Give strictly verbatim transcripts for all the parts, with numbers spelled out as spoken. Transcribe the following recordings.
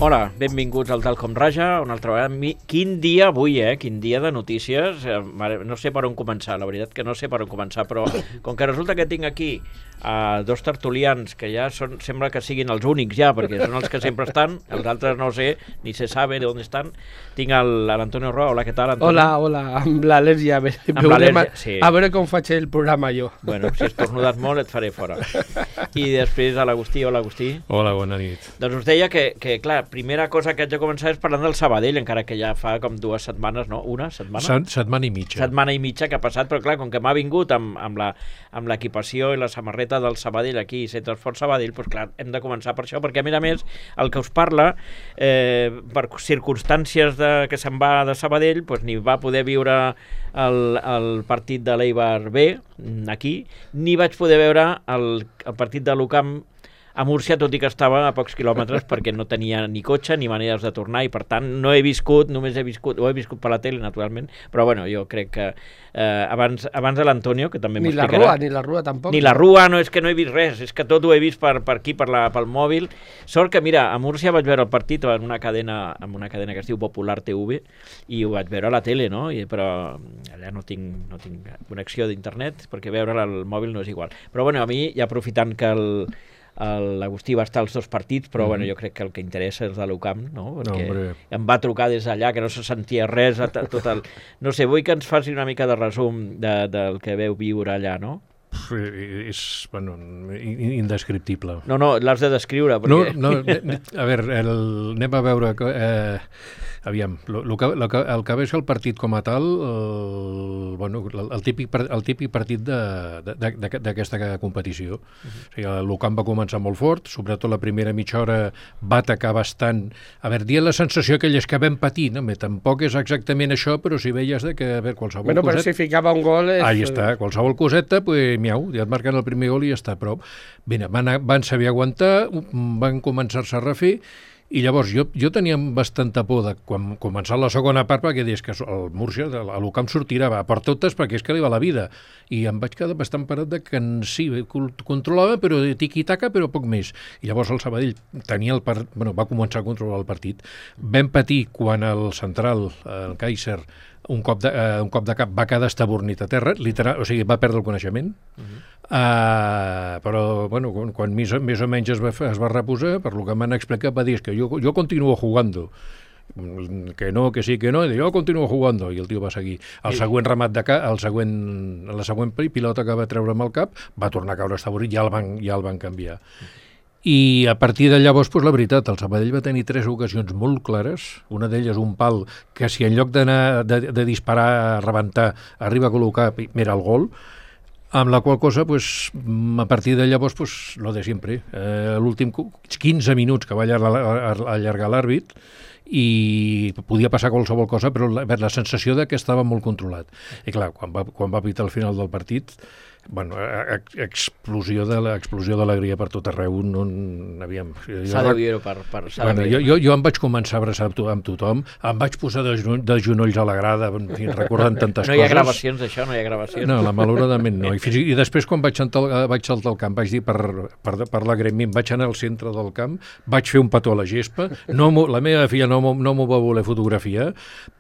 Hola, benvinguts al Tal Com Raja, una altra vegada. Mi... Quin dia avui, eh? Quin dia de notícies. Eh, no sé per on començar, la veritat que no sé per on començar, però com que resulta que tinc aquí uh, dos tertulians que ja són, sembla que siguin els únics ja, perquè són els que sempre estan, els altres no sé, ni se sabe de on estan. Tinc l'Antonio Roa. Hola, què tal, Antonio? Hola, hola, amb l'al·lèrgia. Amb l'al·lèrgia, sí. A veure com faig el programa jo. Bueno, si has tornudat molt et faré fora. I després a l'Agustí. Hola, Agustí. Hola, bona nit. Doncs us deia que, que clar, primera cosa que haig de començar és parlant del Sabadell, encara que ja fa com dues setmanes, no? Una setmana? Set, setmana i mitja. Setmana i mitja que ha passat, però clar, com que m'ha vingut amb, amb, la, amb l'equipació i la samarreta del Sabadell aquí, Centre Esport Sabadell, doncs clar, hem de començar per això, perquè a més a més, el que us parla, eh, per circumstàncies de, que se'n va de Sabadell, doncs ni va poder viure el, el partit de l'Eibar B, aquí, ni vaig poder veure el, el partit de l'U C A M a Múrcia, tot i que estava a pocs quilòmetres perquè no tenia ni cotxe ni maneres de tornar i per tant no he viscut, només he viscut, ho he viscut per la tele naturalment, però bueno, jo crec que eh, abans, abans de l'Antonio, que també ni la m'explicarà... Rua, ni la Rua tampoc. Ni la Rua, no, és que no he vist res, és que tot ho he vist per, per aquí, per la, pel mòbil. Sort que, mira, a Múrcia vaig veure el partit en una cadena, en una cadena que es diu Popular T V i ho vaig veure a la tele, no? I, però allà no tinc, no tinc connexió d'internet perquè veure al mòbil no és igual. Però bueno, a mi, ja aprofitant que el l'Agustí va estar als dos partits, però mm. bueno, jo crec que el que interessa és de l'U C A M, no? Perquè no, em va trucar des d'allà, que no se sentia res, tot el... No sé, vull que ens faci una mica de resum de, del que veu viure allà, no? És, bueno, indescriptible. No, no, l'has de descriure, perquè... No, no, a veure, el, anem a veure... Eh, aviam, lo, lo que, lo que, el que ve és el partit com a tal, el, bueno, el, el, típic, el típic partit d'aquesta competició. Uh-huh. O sigui, l'U C A M va començar molt fort, sobretot la primera mitja hora va atacar bastant. A veure, dient la sensació aquelles que vam patir, no? Bé, tampoc és exactament això, però si veies de que, a veure, qualsevol bueno, coseta... Bueno, però si ficava un gol... És... Ahí està, qualsevol coseta, pues, miau, ja et marquen el primer gol i ja està, però bé, van, van saber aguantar, van començar-se a refer. I llavors jo, jo tenia bastanta por de quan començar la segona part perquè deies que el Múrcia, l'U C A M sortirà a per totes perquè és que li va la vida. I em vaig quedar bastant parat de que en sí, controlava, però de tiqui-taca, però poc més. I llavors el Sabadell tenia el part, bueno, va començar a controlar el partit. Vam patir quan el central, el Kaiser, un cop de, uh, un cop de cap va quedar estabornit a terra, literal, o sigui, va perdre el coneixement. Uh-huh. uh, però, bueno, quan, quan més, més o menys es va, es va reposar, per lo que m'han explicat, va dir que jo, jo continuo jugando. Que no, que sí, que no, i jo continuo jugando, i el tio va seguir. El següent remat de cap, el següent, la següent pilota que va treure amb el cap, va tornar a caure estabornit, ja el van, ja el van canviar. I a partir de llavors, doncs, la veritat, el Sabadell va tenir tres ocasions molt clares, una d'elles un pal que si en lloc d'anar de, de disparar a rebentar arriba a col·locar, mira el gol, amb la qual cosa, pues, a partir de llavors, pues, lo de sempre. Eh, l'últim quinze minuts que va allargar, allargar l'àrbit i podia passar qualsevol cosa, però la, la sensació de que estava molt controlat. I clar, quan va, quan va pitar el final del partit, bueno, explosió de l'explosió d'alegria per tot arreu, no havíem... S'ha de viure per... per bueno, jo, jo, jo em vaig començar a abraçar amb tothom, em vaig posar de, de genolls a la grada, en fi, recordant tantes no hi ha coses. gravacions d'això, no hi ha gravacions. No, la, malauradament no. I, fins, i després quan vaig saltar, vaig saltar al camp, vaig dir per, per, per la gremi, vaig anar al centre del camp, vaig fer un petó a la gespa, no, la meva filla no, no m'ho va voler fotografiar,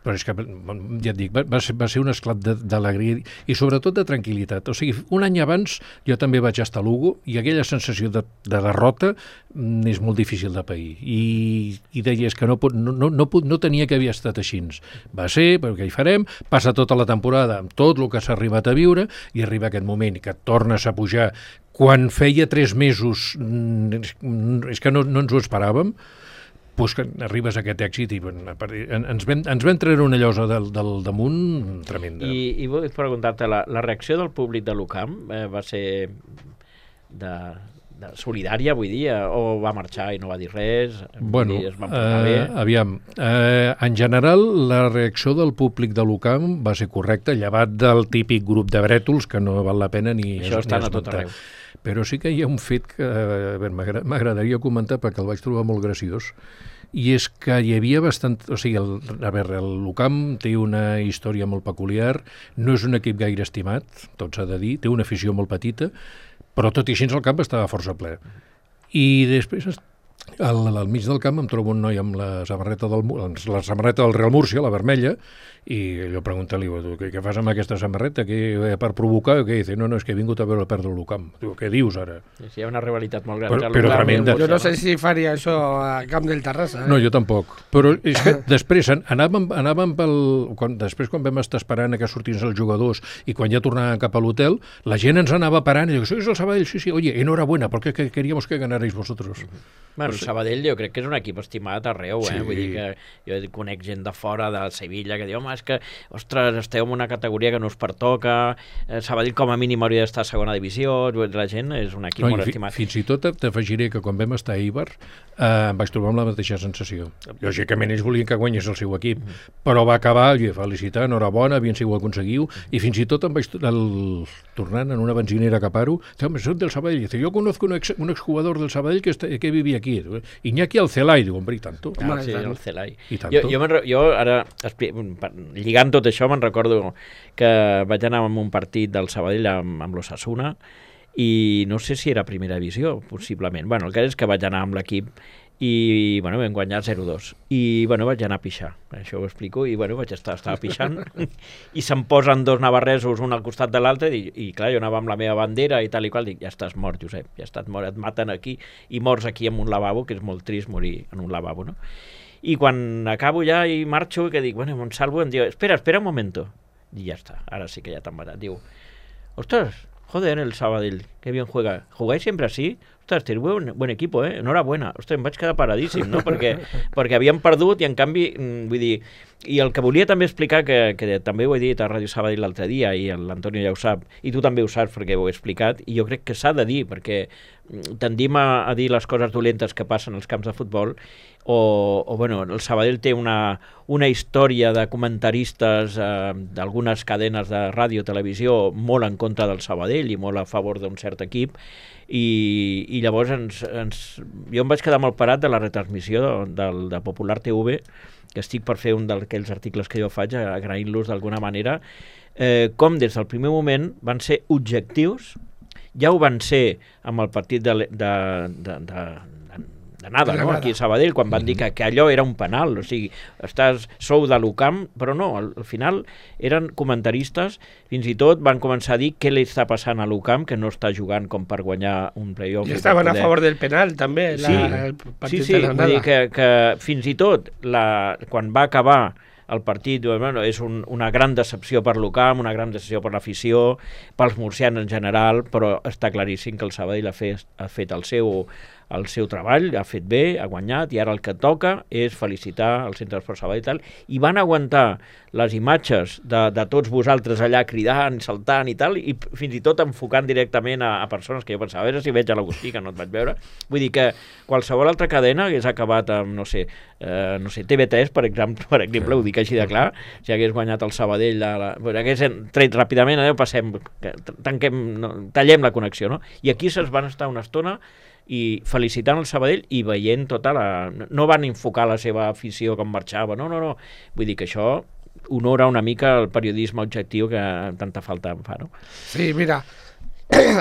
però és que, ja et dic, va, va, ser, va ser un esclat d'alegria i sobretot de tranquil·litat. O sigui, un any abans jo també vaig estar a Lugo i aquella sensació de, de derrota mm, és molt difícil de pair. I, i deies que no, no, no, no, no tenia que havia estat així. Va ser, però què hi farem? Passa tota la temporada amb tot el que s'ha arribat a viure i arriba aquest moment que et tornes a pujar. Quan feia tres mesos mm, és que no, no ens ho esperàvem, pues que arribes a aquest èxit i ens vam, ens vam treure una llosa del, del damunt tremenda. I, i vull preguntar-te, la, la reacció del públic de l'U C A M eh, va ser de, de solidària, vull dir, o va marxar i no va dir res? Bueno, dir, es va portar bé? Eh, aviam, eh, en general la reacció del públic de l'U C A M va ser correcta, llevat del típic grup de brètols que no val la pena ni això estan a tot arreu. Però sí que hi ha un fet que m'agradaria comentar perquè el vaig trobar molt graciós, i és que hi havia bastant... O sigui, el, a veure, l'U C A M té una història molt peculiar, no és un equip gaire estimat, tot s'ha de dir, té una afició molt petita, però tot i així el camp estava força ple. I després al, al mig del camp em trobo un noi amb la samarreta del, la samarreta del Real Múrcia, la vermella, i jo pregunto-li, què, què fas amb aquesta samarreta? Que, per provocar? Què? Dice, no, no, és que he vingut a veure perdre el camp. Diu, què dius ara? Sí, hi ha una rivalitat molt gran. Però, però tremenda. Jo no sé si faria això a Camp del Terrassa. Eh? No, jo tampoc. Però és que després anàvem, anàvem pel... Quan, després quan vam estar esperant que sortins els jugadors i quan ja tornàvem cap a l'hotel, la gent ens anava parant i diu, sois el Sabadell? Sí, sí, oye, enhorabuena, perquè que queríamos que ganarais vosotros. Bueno, el Sabadell jo crec que és un equip estimat arreu, eh? Sí. Vull dir que jo conec gent de fora, de Sevilla, que diu, home, és que, ostres, esteu en una categoria que no us pertoca, eh, Sabadell com a mínim hauria d'estar a segona divisió, la gent és un equip no, molt estimat. Fins i tot t'afegiré que quan vam estar a Eibar eh, em vaig trobar amb la mateixa sensació. Lògicament ells volien que guanyés el seu equip, mm. però va acabar, jo felicitar, enhorabona, bien si ho aconseguiu, i fins i tot em vaig el, tornant en una benzinera a Caparo, home, soc del Sabadell, dice, jo conozco un, ex, un exjugador del Sabadell que, está, que vivia aquí, Iñaki Alcelai, diu, hombre, i tanto. Ah, sí, Alcelai. I tanto. Jo, jo, jo ara, lligant tot això, me'n recordo que vaig anar a un partit del Sabadell amb, amb l'Osasuna i no sé si era primera divisió, possiblement. Bueno, el que és que vaig anar amb l'equip i, bueno, vam guanyar zero dos. I, bueno, vaig anar a pixar, això ho explico, i, bueno, vaig estar, estava pixant i se'm posen dos navarresos un al costat de l'altre i, i, clar, jo anava amb la meva bandera i tal i qual, dic, ja estàs mort, Josep, ja estàs mort, et maten aquí i mors aquí en un lavabo, que és molt trist morir en un lavabo, no? I quan acabo ja i marxo, que dic, bueno, em salvo, em diu, espera, espera un momento. I ja està, ara sí que ja t'han matat. Diu, ostres, joder, el Sabadell, qué bien juega. ¿Jugáis siempre así? Ostres, tens buen, buen equipo, eh? Enhorabuena. Ostres, em vaig quedar paradíssim, no? Perquè, perquè havíem perdut i, en canvi, vull dir... I el que volia també explicar, que, que també ho he dit a Ràdio Sabadell l'altre dia, i l'Antonio ja ho sap, i tu també ho saps perquè ho he explicat, i jo crec que s'ha de dir, perquè tendim a, a dir les coses dolentes que passen als camps de futbol, o, o bueno, el Sabadell té una, una història de comentaristes eh, d'algunes cadenes de ràdio, televisió, molt en contra del Sabadell i molt a favor d'un cert equip, i, i llavors ens, ens, jo em vaig quedar molt parat de la retransmissió del, de Popular T V, que estic per fer un d'aquells articles que jo faig, agraint-los d'alguna manera, eh, com des del primer moment van ser objectius, ja ho van ser amb el partit de, de, de, de, de nada, no? Aquí a Sabadell, quan van dir que, que allò era un penal, o sigui, estàs, sou de l'U C A M, però no, al, al final eren comentaristes, fins i tot van començar a dir què li està passant a l'U C A M, que no està jugant com per guanyar un play-off. I estaven poder... a favor del penal, també, la, sí, el partit sí, sí, de la vull dir que, que fins i tot, la, quan va acabar el partit, bueno, és un, una gran decepció per l'U C A M, una gran decepció per l'afició, pels murcians en general, però està claríssim que el Sabadell ha fet, ha fet el seu el seu treball, ha fet bé, ha guanyat, i ara el que toca és felicitar el Centre d'Esport Sabadell i tal, i van aguantar les imatges de, de tots vosaltres allà cridant, saltant i tal, i fins i tot enfocant directament a, a persones que jo pensava, a veure si veig a l'Agustí, que no et vaig veure. Vull dir que qualsevol altra cadena hagués acabat amb, no sé, eh, no sé, T V tres, per exemple, per exemple, ho dic així de clar, si hagués guanyat el Sabadell, la, la, bueno, hagués tret ràpidament, eh, passem, tanquem, no, tallem la connexió, no? I aquí se'ls van estar una estona i felicitant el Sabadell i veient tota la... No van enfocar la seva afició com marxava, no, no, no. Vull dir que això honora una mica el periodisme objectiu que tanta falta em fa, no? Sí, mira,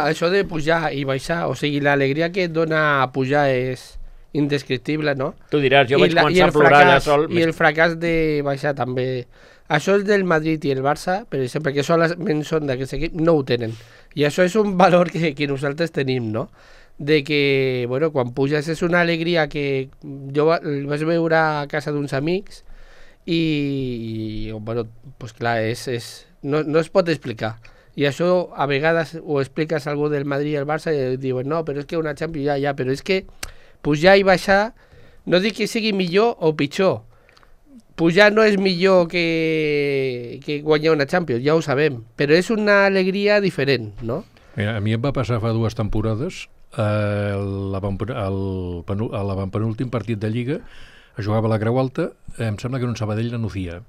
això de pujar i baixar, o sigui, l'alegria que et dona pujar és indescriptible, no? Tu diràs, jo I vaig la, començar a plorar allà sol... I el fracàs de baixar també... Això és del Madrid i el Barça, per exemple, que solament són d'aquest equip, no ho tenen. I això és un valor que, que nosaltres tenim, no? De que, bueno, quan puges és una alegria que jo el vaig veure a casa d'uns amics i, i bueno, pues clar, és, és, no, no es pot explicar. I això a vegades ho expliques a algú del Madrid i el Barça i diuen, no, però és que una Champions ja, ja, però és que pujar i baixar, no dic que sigui millor o pitjor, pujar no és millor que, que guanyar una Champions, ja ho sabem, però és una alegria diferent, no? Mira, a mi em va passar fa dues temporades, eh, l'avantpenúltim partit de Lliga, jugava a la Creu Alta, eh, em sembla que era un Sabadell la Nucía.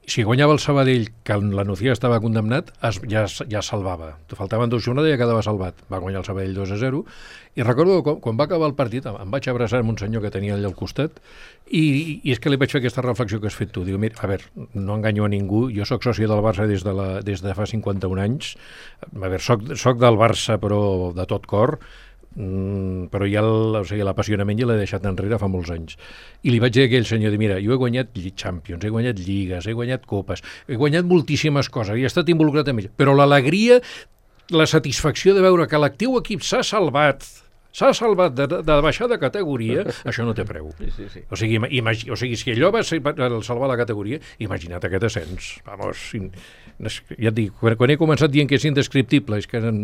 Si guanyava el Sabadell, que la Nucía estava condemnat, es, ja, ja salvava. Faltaven dues jornades i ja quedava salvat. Va guanyar el Sabadell dos a zero. I recordo que quan, quan va acabar el partit em vaig abraçar amb un senyor que tenia allà al costat i, i és que li vaig fer aquesta reflexió que has fet tu. Diu, mira, a veure, no enganyo a ningú. Jo sóc soci del Barça des de, la, des de fa cinquanta-un anys. A veure, soc, soc del Barça però de tot cor. mm, però ja el, o sigui, l'apassionament ja l'he deixat enrere fa molts anys. I li vaig dir a aquell senyor, mira, jo he guanyat Champions, he guanyat lligues, he guanyat copes, he guanyat moltíssimes coses, i he estat involucrat en ell, però l'alegria, la satisfacció de veure que l'actiu equip s'ha salvat, s'ha salvat de, de baixar de categoria, això no té preu. Sí, sí, sí. O sigui, imagi, o sigui, si allò va ser el salvar la categoria, imagina't aquest ascens. Vamos, ja et dic, quan, quan he començat dient que és indescriptible, és que eren,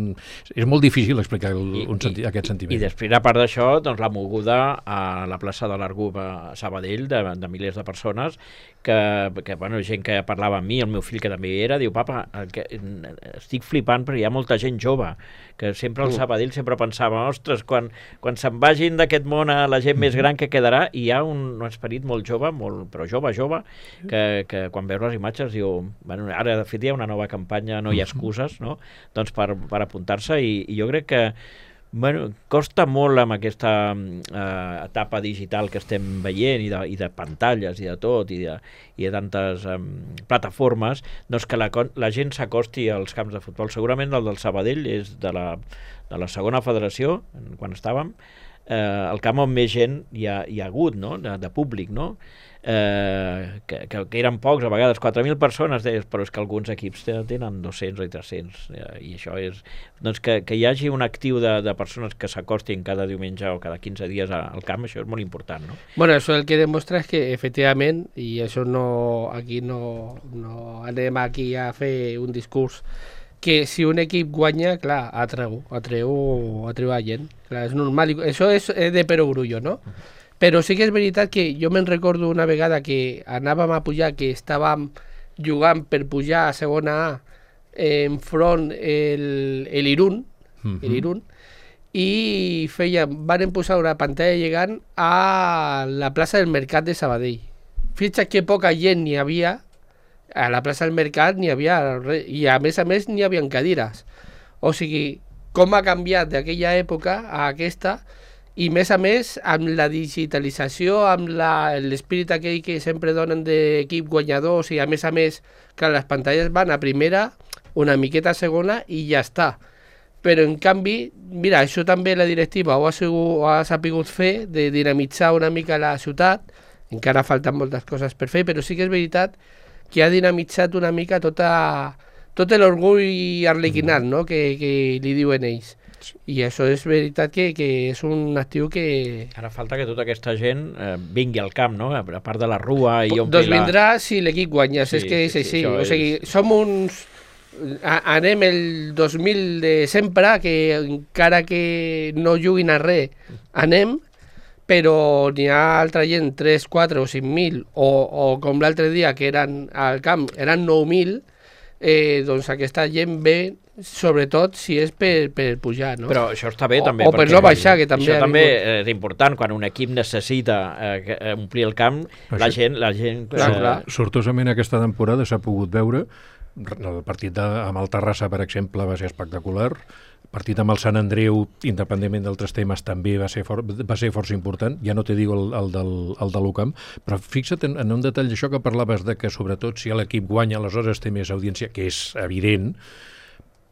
és molt difícil explicar el, I, un senti, i, aquest sentiment. I després, a part d'això, doncs, la moguda a la plaça de l'Argub a Sabadell, de, de milers de persones, que, que bueno, gent que parlava amb mi, el meu fill que també hi era, diu, papa, que, estic flipant perquè hi ha molta gent jove, que sempre al Sabadell sempre pensava, ostres, quan Quan, quan se'n vagin d'aquest món a la gent més gran que quedarà, i hi ha un, un esperit molt jove, molt, però jove, jove, que, que quan veus les imatges diu, bueno, ara de fet hi ha una nova campanya, no hi ha excuses, no? Doncs per, per apuntar-se, i, i jo crec que bueno, costa molt amb aquesta eh, etapa digital que estem veient, i de, i de pantalles i de tot, i de, i de tantes eh, plataformes, doncs que la, la gent s'acosti als camps de futbol. Segurament el del Sabadell és de la, de la segona federació, quan estàvem, eh, el camp on més gent hi ha, hi ha hagut, no? de, de públic, no? Eh, que, que, que eren pocs, a vegades quatre mil persones, deies, però és que alguns equips tenen dos-cents o tres-cents, eh, i això és doncs que, que hi hagi un actiu de, de persones que s'acostin cada diumenge o cada quinze dies al camp, això és molt important, no? Bueno, això el que demostra és que efectivament, i això no, aquí no, no anem aquí a fer un discurs, que si un equip guanya, clar, atreu, atreu, atreu a gent, clar, és normal, això és de perogrullo, no? Però sí que és veritat que jo me'n recordo una vegada que anàvem a pujar, que estàvem jugant per pujar a segona A enfront el, el Irún, uh-huh. el Irún, i feien, van posar una pantalla llegant a la plaça del Mercat de Sabadell. Fixa't que poca gent n'hi havia, a la plaça del Mercat n'hi havia res, i a més a més n'hi havia cadires. O sigui, com ha canviat d'aquella època a aquesta, i més a més amb la digitalització, amb l'espírit aquell que sempre donen d'equip guanyadors, i a més a més que les pantalles van a primera, una miqueta a segona i ja està. Però en canvi, mira, això també la directiva ho ha, sigut, ho ha sapigut fer, de dinamitzar una mica la ciutat, encara falten moltes coses per fer, però sí que és veritat que ha dinamitzat una mica tota, tot l'orgull arlequinat, no? que, que li diuen ells. I això és veritat que, que és un actiu que... Ara falta que tota aquesta gent eh, vingui al camp, no? A part de la rua i ompli doncs la... vindrà si l'equip guanya, sí, és que és sí, així. Sí, o sigui, és... som uns... A, anem el dos mil de sempre, que encara que no juguin a res, anem, però n'hi ha altra gent, tres, quatre o cinc mil, o, o com l'altre dia que eren al camp, eren nou mil, eh, doncs aquesta gent ve sobretot si és per, per pujar, no? Però això està bé, o, també. O per no baixar, que també... Això també és important, quan un equip necessita eh, omplir el camp, això, la gent... La gent clar, eh... clar. Sortosament aquesta temporada s'ha pogut veure, el partit de, amb el Terrassa, per exemple, va ser espectacular, el partit amb el Sant Andreu, independentment d'altres temes, també va ser, for, va ser força important, ja no te digo el, el, del, el de l'U C A M, però fixa't en, en un detall d'això que parlaves de que sobretot si l'equip guanya, aleshores té més audiència, que és evident.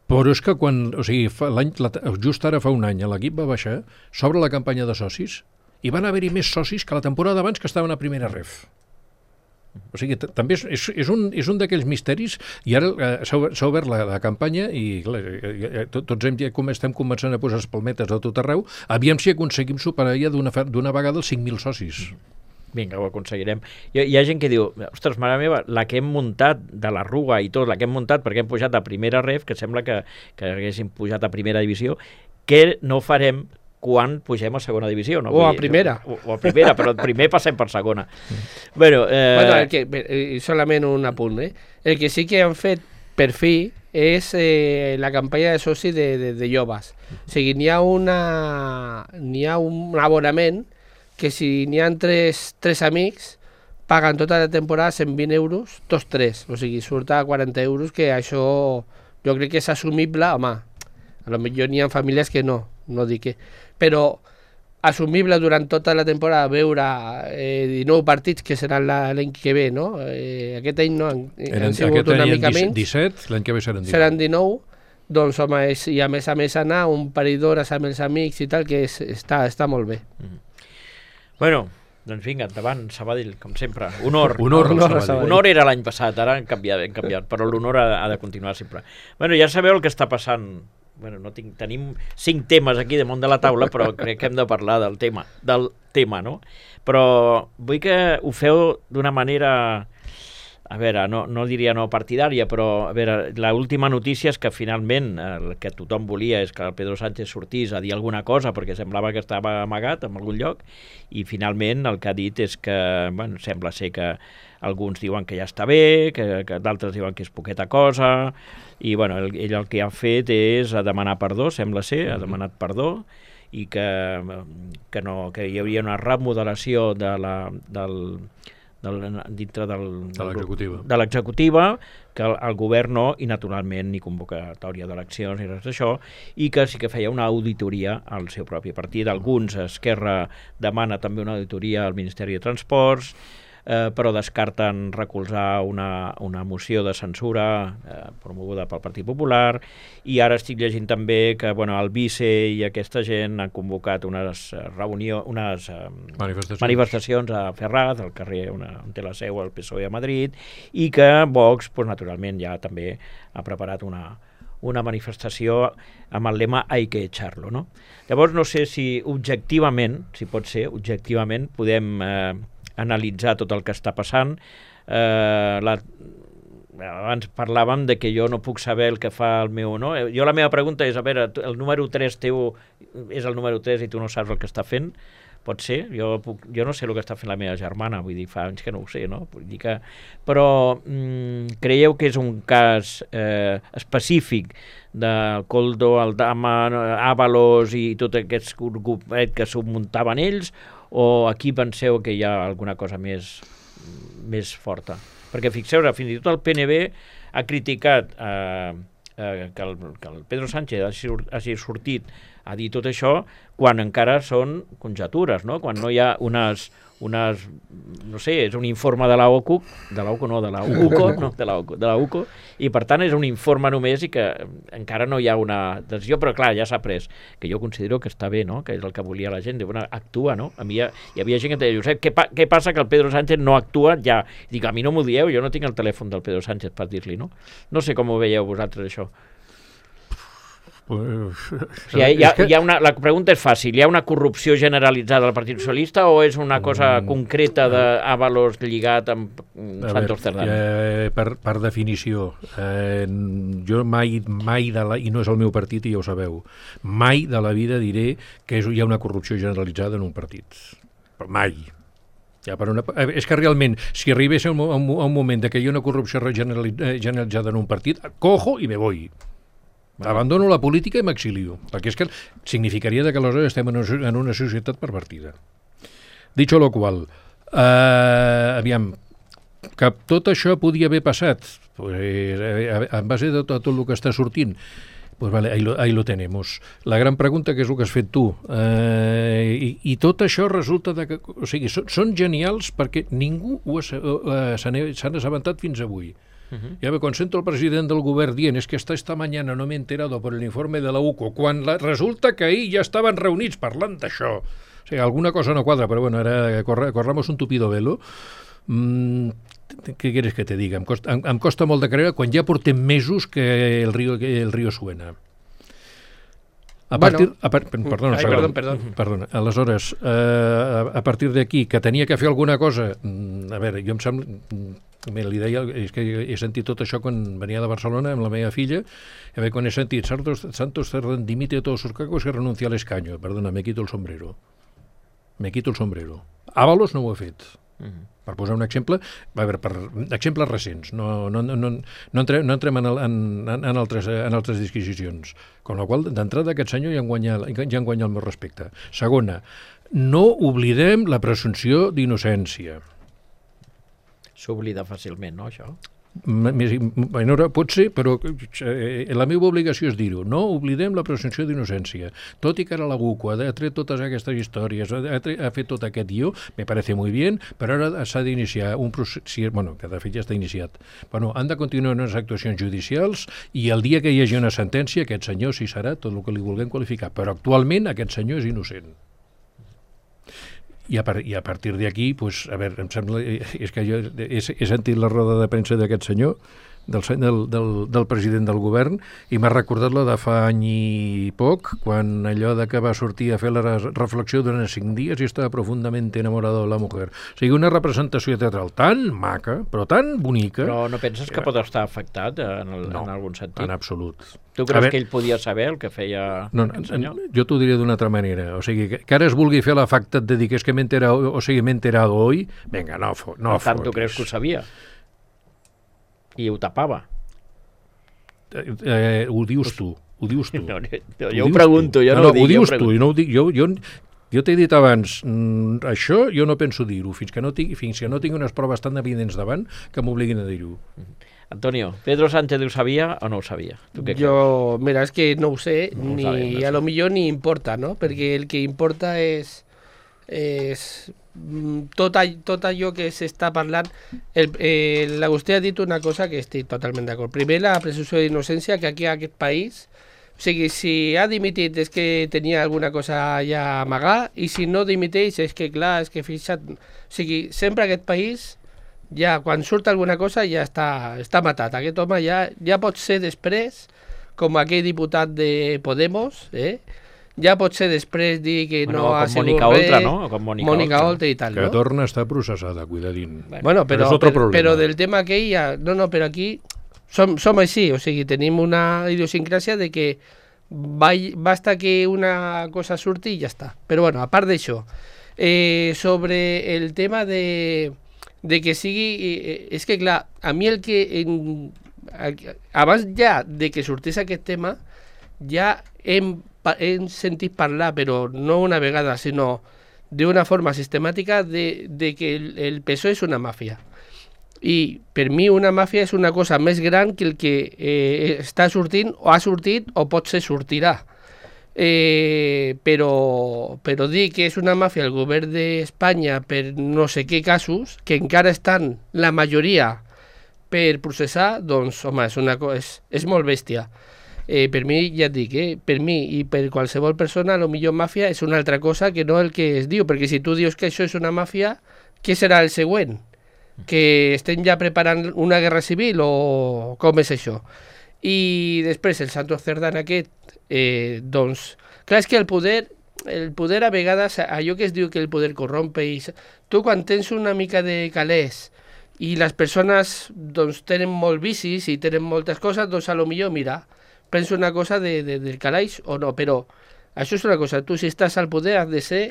Però és que quan, o sigui, fa, l'any, la, just ara fa un any l'equip va baixar, s'obre la campanya de socis i van haver-hi més socis que la temporada abans que estaven a primera ref. O sigui, també és, és, és un, és un d'aquells misteris, i ara eh, s'ha obert la, la campanya i clar, eh, tots hem, com estem començant a posar espalmetes a tot arreu, aviam si aconseguim superar ja d'una d'una vegada els cinc mil socis. Vinga, ho aconseguirem. Hi, hi ha gent que diu, ostres, mare meva, la que hem muntat de la Rua i tot, la que hem muntat perquè hem pujat a primera ref, que sembla que, que haguéssim pujat a primera divisió, què no farem quan pugem a segona divisió? No? O a primera. O, o a primera, però primer passem per segona. bueno, eh... bueno, el que, solament un apunt, eh? El que sí que han fet per fi és eh, la campanya de soci de, de, de joves. O sigui, n'hi ha, una, n'hi ha un abonament que si n'hi ha tres, tres amics paguen tota la temporada cent vint euros, tots tres, o sigui, surt a quaranta euros, que això jo crec que és assumible, home, a lo millor n'hi ha famílies que no, no dic que, però assumible durant tota la temporada veure eh, dinou partits que seran l'any que ve, no? Eh, aquest any no, han, han sigut una mica menys. disset, l'any que ve seran dinou. Seran dinou, doncs home, és, i a més a més anar un parell d'hores amb els amics i tal, que és, està, està molt bé. Mm. Bueno, doncs vinga, endavant, Sabadell, com sempre. Honor. Honor, honor honor, a Sabadell. Honor era l'any passat, ara han canviat, hem canviat, però l'honor ha, ha de continuar sempre. Bueno, ja sabeu el que està passant. Bueno, no tinc, tenim cinc temes aquí damunt de la taula, però crec que hem de parlar del tema, del tema, no? Però vull que ho feu d'una manera... A veure, no, no diria no partidària, però a veure, l'última notícia és que finalment el que tothom volia és que el Pedro Sánchez sortís a dir alguna cosa perquè semblava que estava amagat en algun lloc i finalment el que ha dit és que, bueno, sembla ser que alguns diuen que ja està bé, que, que d'altres diuen que és poqueta cosa i bueno, el, ell el que ha fet és a demanar perdó, sembla ser, ha demanat perdó i que, que, no, que hi hauria una remodelació de la, del... Del, dintre del, de l'executiva, de l'executiva que el, el govern no, i naturalment ni convocatòria d'eleccions ni res d'això, i que sí que feia una auditoria al seu propi partit. Alguns, Esquerra demana també una auditoria al Ministeri de Transports, eh, però descarten recolzar una, una moció de censura eh, promoguda pel Partit Popular, i ara estic llegint també que bueno, el vice i aquesta gent han convocat unes reunions, unes eh, manifestacions. manifestacions a Ferraz, al carrer una, on té la seu el P S O E a Madrid, i que Vox, pues, naturalment, ja també ha preparat una, una manifestació amb el lema «Hay que echarlo», no? Llavors, no sé si objectivament, si pot ser, objectivament, podem eh, analitzar tot el que està passant. Eh, la, abans parlàvem de que jo no puc saber el que fa el meu... No? Jo la meva pregunta és, a veure, el número tres teu és el número tres i tu no saps el que està fent? Pot ser? Jo, puc, jo no sé el que està fent la meva germana, vull dir, fa anys que no ho sé, no? Vull dir que, però mm, creieu que és un cas eh, específic del Koldo, Aldama, Ábalos i tot aquest grupet que s'ho muntaven ells, o aquí penseu que hi ha alguna cosa més, més forta? Perquè fixeu, fins i tot el P N B ha criticat eh, eh, que, el, que el Pedro Sánchez hagi, hagi sortit a dir tot això quan encara són conjectures, no? Quan no hi ha unes, unes no sé, és un informe de la O C U, de la O C U no, de la U C O, no, de la, de la U C O, i per tant és un informe només i que encara no hi ha una decisió, però clar, ja s'ha pres, que jo considero que està bé, no? Que és el que volia la gent, de, bueno, actua, no? A mi hi, ha, hi havia gent que deia, Josep, què, pa, què passa que el Pedro Sánchez no actua ja? Dic, a mi no m'ho dieu, jo no tinc el telèfon del Pedro Sánchez per dir-li, no? No sé com ho veieu vosaltres, això. Pues, o sigui, hi ha, hi ha una, la pregunta és fàcil, hi ha una corrupció generalitzada del Partit Socialista o és una cosa mm, concreta d'Ábalos lligat amb Santos Cerdán? Eh, per, per definició, eh, jo mai, mai de la, i no és el meu partit i ja ho sabeu, mai de la vida diré que és, hi ha una corrupció generalitzada en un partit. Però mai. Ja, per una, és que realment, si arribés a un, a un moment de que hi ha una corrupció generalitzada en un partit, cojo i me voy. Abandono la política i m'exilio, perquè és que significaria que aleshores estem en una, en una societat pervertida. Dicho lo qual, eh, aviam, que tot això podia haver passat, pues, eh, en base de tot, tot el que està sortint, pues vale, ahí lo, ahí lo tenemos. La gran pregunta, que és el que has fet tu, eh, i, i tot això resulta de que, o sigui, són, són genials perquè ningú eh, s'han assabentat fins avui. Uh-huh. Ja me concentro el president del govern dient és que esta, esta mañana no m'he enterado por el informe de la U C O, quan la, resulta que ahir ja estaven reunits parlant d'això. O sigui, alguna cosa no quadra, però bueno, ara corre, corramos un tupido velo. Mm, què quieres que te diga? Em costa, em, em costa molt de creure quan ja portem mesos que el río, que el río suena. A partir, bueno, a par, perdona, ai, perdó, perdó. perdona, aleshores, eh, a, a partir d'aquí, que tenia que fer alguna cosa, a veure, jo em sembla, mira, li deia, és que he sentit tot això quan venia de Barcelona amb la meva filla, a veure, quan he sentit Santos, Santos Cerdán dimite a todos sus cargos y renuncia al escaño, perdona, me quito el sombrero, me quito el sombrero. Ábalos no ho ha fet. Uh-huh. Per posar un exemple, a veure, per exemples recents, no, no, no, no, no entrem, no entrem en, el, en, en, altres, en altres disquisicions, con la qual d'entrada aquest senyor ja en guanya, ja en guanya el meu respecte. Segona, no oblidem la presumpció d'innocència. S'oblida fàcilment, no, això? menor pot ser, però eh, la meva obligació és dir-ho. No oblidem la presumpció d'innocència. Tot i que ara la U C O ha tret totes aquestes històries, ha, ha fet tot aquest guió, me parece muy bien, però ara s'ha d'iniciar un procés, bueno, que de fet ja està iniciat. Bueno, han de continuar unes actuacions judicials i el dia que hi hagi una sentència, aquest senyor sí serà tot el que li vulguem qualificar, però actualment aquest senyor és innocent. I a, par I a partir d'aquí, pues, a veure, em sembla, és que jo he, he sentit la roda de premsa d'aquest senyor, del, del, del, del president del govern, i m'ha recordat la de fa any i poc, quan allò de que va sortir a fer la reflexió durant cinc dies i estava profundament enamorado de la mujer. O sigui, una representació teatral tan maca, però tan bonica... Però no penses que pot estar afectat en, el, no, en algun sentit? en absolut. Tu creus veure, que ell podia saber el que feia no, aquest senyor? Jo t'ho diré d'una altra manera. O sigui, que, que ara es vulgui fer l'afectat de dir que és que m'he enterado, o sigui, m'he enterado hoy, vinga, no, fo, no per tant, tu creus que ho sabia? I ho tapava? Eh, eh, ho dius tu, ho dius tu. No, no, jo ho pregunto, jo no, no ho dic. Ho dius tu, i no ho dic, jo, jo, jo t'he dit abans, mm, això jo no penso dir-ho, fins que no tinc, fins que no tinc unes proves tan evidents davant que m'obliguin a dir-ho. Antonio, ¿Pedro Sánchez ho sabia o no ho sabia? ¿Tú qué Yo, crees? Mira, es que no ho sé, no ni sabem, no a lo millor ni importa, no? Perquè el que importa és, és tot, all, tot allò que s'està parlant. L'Agustí ha dit una cosa que estic totalment d'acord. Primer, la presumpció d'innocència, que aquí a aquest país, o sigui, si ha dimitit és que tenia alguna cosa ja a amagar, i si no dimiteix és que, clar, és que fixa't... O sigui, sempre aquest país... ja quan surt alguna cosa ja està, està matat. Aquest home ja, ja pot ser després, com aquell diputat de Podemos, eh? ja pot ser després dir que bueno, no ha sigut Mònica res, Oltra, no? Com Mònica, Mònica Oltra. Oltra i tal, que no? torna a estar processada, cuidadín. Bueno, bueno però, però, però, però del tema aquell ja... No, no, però aquí som, som així, o sigui, tenim una idiosincràsia de que va, basta que una cosa surti i ja està. Però bueno, a part d'això, eh, sobre el tema de... de que sigui... Eh, és que, clar, a mi el que... En, abans ja de que sortís aquest tema, ja hem, hem sentit parlar, però no una vegada, sinó d'una forma sistemàtica, de, de que el, el P S O E és una màfia. I per mi una màfia és una cosa més gran que el que eh, està sortint, o ha sortit, o potser sortirà. Eh, però, però dir que és una màfia el govern d'Espanya per no sé què casos, que encara estan la majoria per processar, doncs, home, és, una, és, és molt bèstia. Eh, per mi, ja et dic, eh, per mi i per qualsevol persona, a lo millor màfia és una altra cosa que no el que es diu, perquè si tu dius que això és una màfia, què serà el següent? Que estem ja preparant una guerra civil o com és això? I després el Santos Cerdán aquest, eh, doncs, clar, és que el poder, el poder a vegades, allò que es diu que el poder corrompe, i tu quan tens una mica de calés i les persones doncs tenen molt vicis i tenen moltes coses, doncs a lo millor, mira, penso una cosa de, de, del calaix o no, però això és una cosa, tu si estàs al poder has de ser,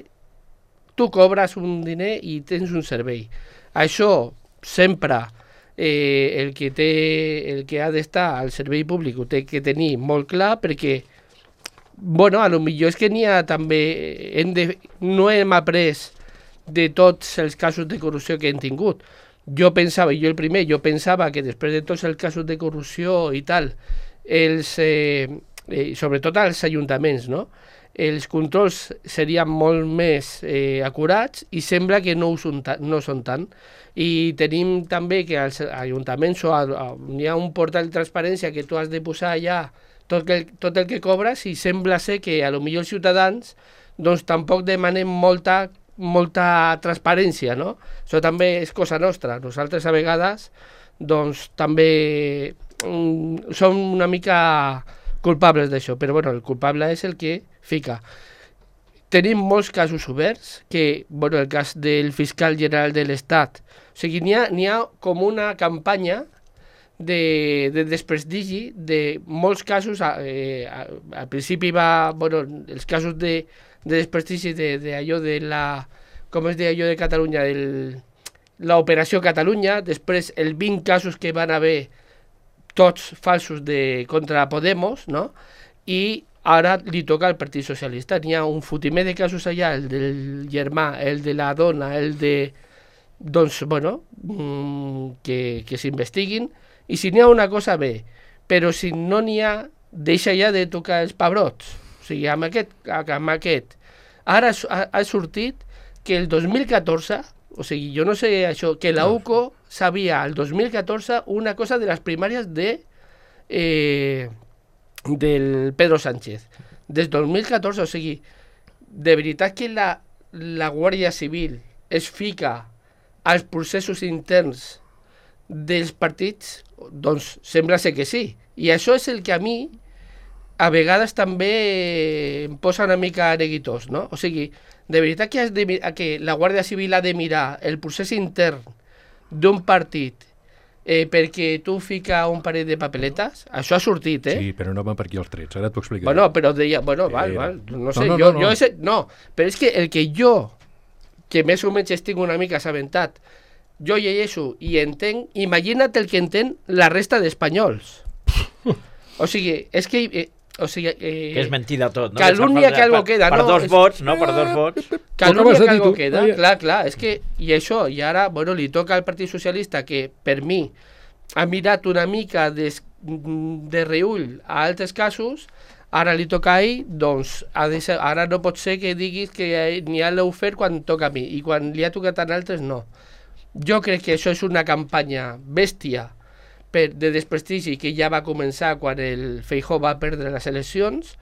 tu cobres un diner i tens un servei. Això sempre... Eh, el que té, el que ha d'estar al servei públic ho té que tenir molt clar, perquè bueno, a lo millor és que n'hi ha també hem de, no hem après de tots els casos de corrupció que hem tingut. Jo pensava, jo el primer, jo pensava que després de tots els casos de corrupció i tal, els, eh, eh, sobretot als ajuntaments, no? Els controls serien molt més eh, acurats i sembla que no ho són, no són tant. I tenim també que als ajuntaments o a, a, hi ha un portal de transparència que tu has de posar allà tot el, tot el que cobres i sembla ser que a lo millor els ciutadans doncs tampoc demanem molta, molta transparència, no? Això també és cosa nostra. Nosaltres a vegades doncs també mm, som una mica culpables d'això, però bueno, el culpable és el que fica. Tenim molts casos oberts, que, bueno, el cas del fiscal general de l'Estat, o sigui, n'hi ha, n'hi ha com una campanya de, de desprestigi de molts casos, eh, al principi va, bueno, els casos de, de desprestigi d'allò de, de la, com es deia allò de Catalunya, l'operació Catalunya, després els vint casos que van haver tots falsos de, contra Podemos, no? I ara li toca al Partit Socialista. N'hi ha un fotimer de casos allà, el del germà, el de la dona, el de... Doncs, bueno, mmm, que, que s'investiguin I si n'hi ha una cosa, bé. Però si no n'hi ha, deixa ja de tocar els pebrots. O sigui, amb aquest, amb aquest. Ara ha, ha sortit que el dos mil catorze, o sigui, jo no sé això, que la U C O sabia el dos mil catorze una cosa de les primàries de, eh, del Pedro Sánchez. Des dos mil catorze, o sigui, de veritat que la, la Guàrdia Civil es fica als processos interns dels partits, doncs sembla ser que sí. I això és el que a mi a vegades també em posa una mica neguitós, no? O sigui, de veritat que, has de, que la Guàrdia Civil ha de mirar el procés intern d'un partit eh, perquè tu fica un parell de papeletes, això ha sortit, eh? Sí, però no van per aquí els trets, ara t'ho explicaré. Bueno, però deia, bueno, val, val, no sé, no, no, jo, no, no. jo ese, no, però és que el que jo, que més o menys estic una mica assabentat, jo llegeixo i entenc, imagina't el que entén la resta d'espanyols. O sigui, és que... Eh, o sigui, eh, que és mentida tot, no? Calúnia que algo queda, per, no? Per dos és... vots, no? Per dos vots. Calúnia que algo queda, clar, clar, és que... I això, i ara, bueno, li toca al Partit Socialista, que per mi ha mirat una mica des, de reull a altres casos, ara li toca a ell, doncs, ha de ser, ara no pot ser que diguis que n'hi ha l'heu fet quan toca a mi, i quan li ha tocat a altres, no. Jo crec que això és una campanya bèstia per, de desprestigi que ja va començar quan el Feijóo va perdre les eleccions,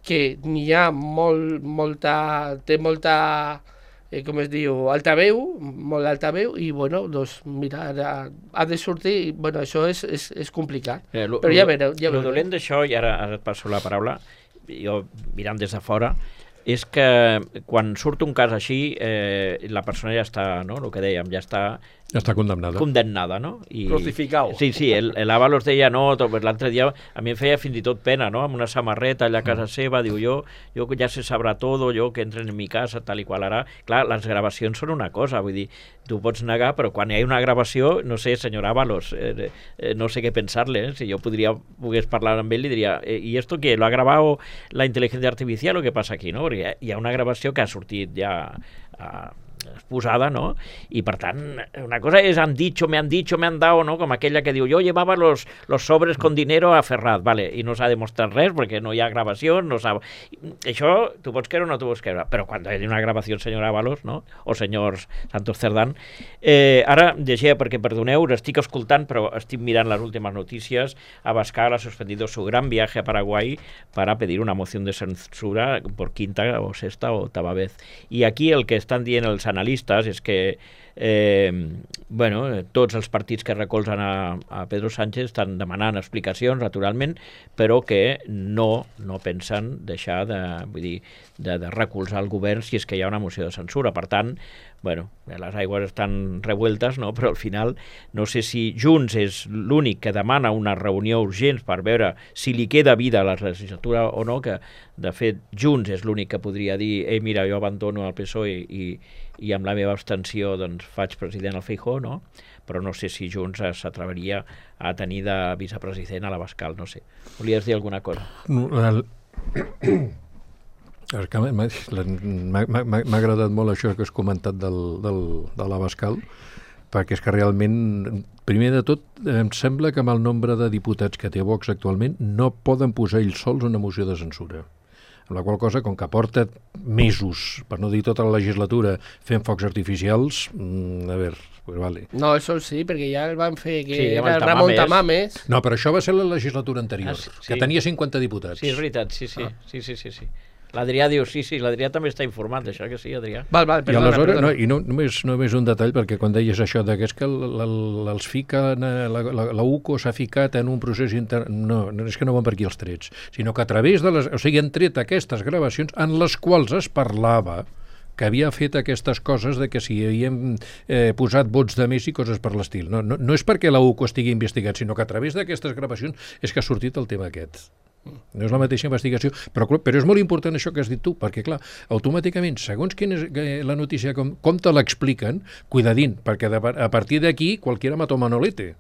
que n'hi ha molt, molta, té molta, eh, com es diu, altaveu, molt altaveu, i bueno, doncs mira, ha, ha de sortir, i bueno, això és, és, és complicat. Eh, lo, però ja veureu. Ja el dolent d'això, i ara, ara et passo la paraula, jo mirant des de fora, és que quan surt un cas així, eh, la persona ja està, no?, el que dèiem, ja està... Ja està condemnada. Condemnada, no? I, Crucificado. Sí, sí, l'Avalos deia no, l'altre dia a mi em feia fins i tot pena, no?, amb una samarreta allà a casa seva, diu jo, jo ja se sabrà todo, jo que entren en mi casa, tal i qual ara. Clar, les gravacions són una cosa, vull dir, tu pots negar, però quan hi ha una gravació, no sé, senyor Ábalos, eh, eh, no sé què pensar-le, eh? Si jo podria, pogués parlar amb ell, li diria, eh, ¿y esto qué? ¿Lo ha grabado la inteligencia artificial o qué pasa aquí, no? Perquè hi ha una gravació que ha sortit ja a, exposada, no? I per tant, una cosa és han dicho, me han dicho, me han dado, no? Com aquella que diu, yo llevaba los, los sobres con dinero a Ferraz, vale, i no s'ha demostrat res perquè no hi ha gravació, no s'ha... Això tu pots creure o no tu pots creure, però quan hi ha una gravació, senyor Ábalos, no? O senyors Santos Cerdán, eh, ara llegia, perquè perdoneu, estic escoltant, però estic mirant les últimes notícies. Abascal ha suspendido su gran viaje a Paraguay para pedir una moción de censura por quinta o sexta o octava vez. I aquí el que estan dient els analistes és que eh, bueno, tots els partits que recolzen a, a Pedro Sánchez estan demanant explicacions, naturalment, però que no, no pensen deixar de, vull dir, de, de recolzar el govern si és que hi ha una moció de censura. Per tant, bueno, les aigües estan revueltes, no? Però al final no sé si Junts és l'únic que demana una reunió urgent per veure si li queda vida a la legislatura o no, que de fet Junts és l'únic que podria dir ei, mira, jo abandono el P S O E i, i amb la meva abstenció doncs, faig president al Feijóo, no? Però no sé si Junts s'atreveria a tenir de vicepresident a l'Abascal, no sé. Volies dir alguna cosa? El... M'ha agradat molt això que has comentat del, del, de l'Abascal, perquè és que realment, primer de tot, em sembla que amb el nombre de diputats que té Vox actualment no poden posar ells sols una moció de censura. Amb la qual cosa, com que porta mesos, per no dir tota la legislatura, fent focs artificials, mmm, a veure, pues vale. No, això sí, perquè ja el van fer, que sí, era el Ramon Tamames. No, però això va ser la legislatura anterior, ah, sí. que tenia cinquanta diputats. Sí, és veritat, sí, sí, ah. sí, sí, sí, sí. L'Adrià diu, sí, sí, l'Adrià també està informat d'això, que sí, Adrià. Val, val, perdona, I aleshores, perdona. No, i no, només, només un detall, perquè quan deies això de que és que els fica, la, la, la U C O s'ha ficat en un procés intern... No, no, és que no van per aquí els trets, sinó que a través de les... O sigui, han tret aquestes gravacions en les quals es parlava que havia fet aquestes coses de que si havíem eh, posat vots de més i coses per l'estil. No, no, no és perquè la U C O estigui investigat, sinó que a través d'aquestes gravacions és que ha sortit el tema aquest. No és la mateixa investigació, però, però és molt important això que has dit tu, perquè clar, automàticament, segons quina és la notícia, com, com te l'expliquen, cuidadín, perquè de, a partir d'aquí qualquiera mató Manolete.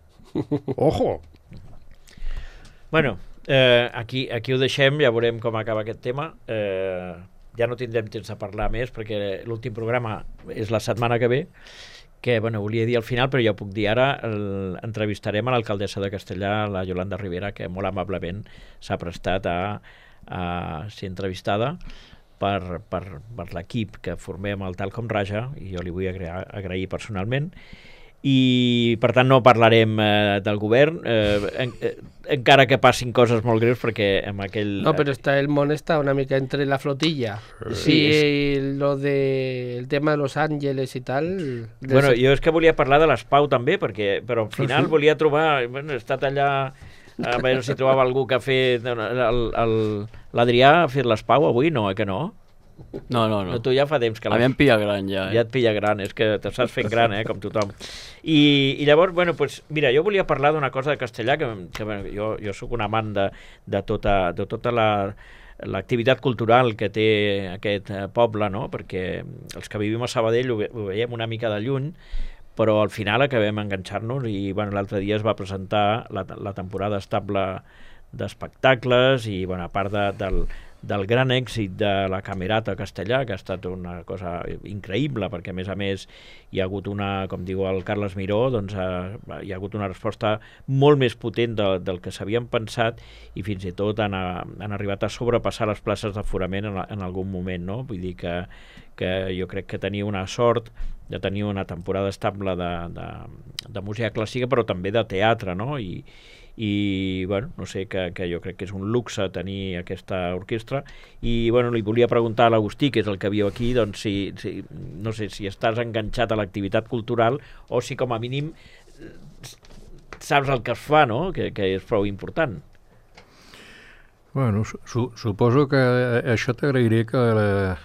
Ojo! Bueno, eh, aquí, aquí ho deixem, ja veurem com acaba aquest tema. Eh, ja no tindrem temps de parlar més, perquè l'últim programa és la setmana que ve, que bueno, volia dir al final, però ja ho puc dir ara, el, entrevistarem a l'alcaldessa de Castellà, la Yolanda Rivera, que molt amablement s'ha prestat a, a ser entrevistada per, per, per l'equip que formem el Tal com Raja, i jo li vull agrair, agrair personalment. I per tant no parlarem eh, del govern, eh, en, eh, encara que passin coses molt greus, perquè amb aquell... No, però està, el món està una mica entre la flotilla. Sí, és... lo de, el tema de Los Ángeles i tal... Bueno, jo és que volia parlar de l'Espau també, perquè, però al final sí. volia trobar... Bueno, he estat allà a veure si trobava algú que ha fet... L'Adrià ha fet l'Espau avui? No, eh que no? No, no, no. Tu ja fa temps que... A mi em pilla gran, ja. Eh? Ja et pilla gran, és que te saps fent gran, eh, com tothom. I, i llavors, bueno, pues, mira, jo volia parlar d'una cosa de Castellà, que, que bueno, jo, jo sóc un amant de, de tota, de tota la l'activitat cultural que té aquest eh, poble, no? Perquè els que vivim a Sabadell ho, ve, ho veiem una mica de lluny, però al final acabem enganxar-nos i bueno, l'altre dia es va presentar la, la temporada estable d'espectacles i bueno, a part de, del del gran èxit de la Camerata Castellà, que ha estat una cosa increïble, perquè a més a més hi ha hagut una, com diu el Carles Miró, doncs eh, hi ha hagut una resposta molt més potent de, del que s'havien pensat i fins i tot han, han arribat a sobrepassar les places d'aforament en, en algun moment, no? Vull dir que, que jo crec que tenia una sort de tenir una temporada estable de, de, de música clàssica, però també de teatre, no? I, i bueno, no sé, que, que jo crec que és un luxe tenir aquesta orquestra i bueno, li volia preguntar a l'Agustí, que és el que viu aquí, doncs si, si no sé si estàs enganxat a l'activitat cultural o si com a mínim saps el que es fa, no? Que, que és prou important. Bueno, su suposo que això t'agrairé que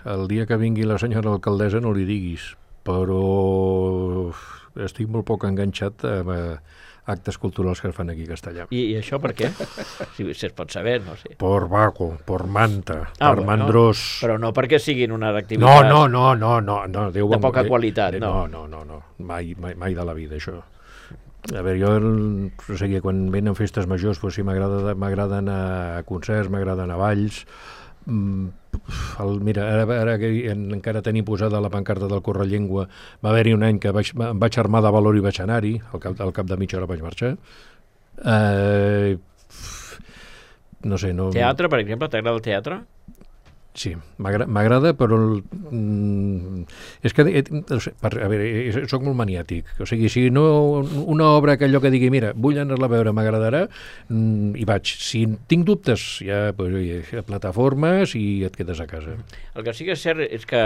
el dia que vingui la senyora alcaldessa no li diguis, però estic molt poc enganxat a actes culturals que es fan aquí a Castellà. I, i això per què? Si, si es pot saber, no sé. Por vago, por manta, ah, per bueno, mandrós... Però no perquè siguin unes activitats... No, no, no, no, no, no Déu de poca eh, qualitat, no. No, no, no, mai, mai, mai de la vida, això. A veure, jo, el, o sigui, quan venen festes majors, doncs sí, m'agrada anar a concerts, m'agrada anar a balls... Mm, el, mira, ara, ara que encara tenim posada la pancarta del Correllengua, va haver-hi un any que vaig, em vaig armar de valor i vaig anar-hi, al cap, al cap de mitja hora vaig marxar. Eh, no sé, no... Teatre, per exemple, t'agrada el teatre? Sí, m'agrada, però el, mm, és que no sé, per, a veure, soc molt maniàtic, o sigui, si no una obra que allò que digui, mira, vull anar-la a veure, m'agradarà, mm, i vaig. Si tinc dubtes, ja, pues, oye, plataformes i et quedes a casa. El que sí que és cert és que,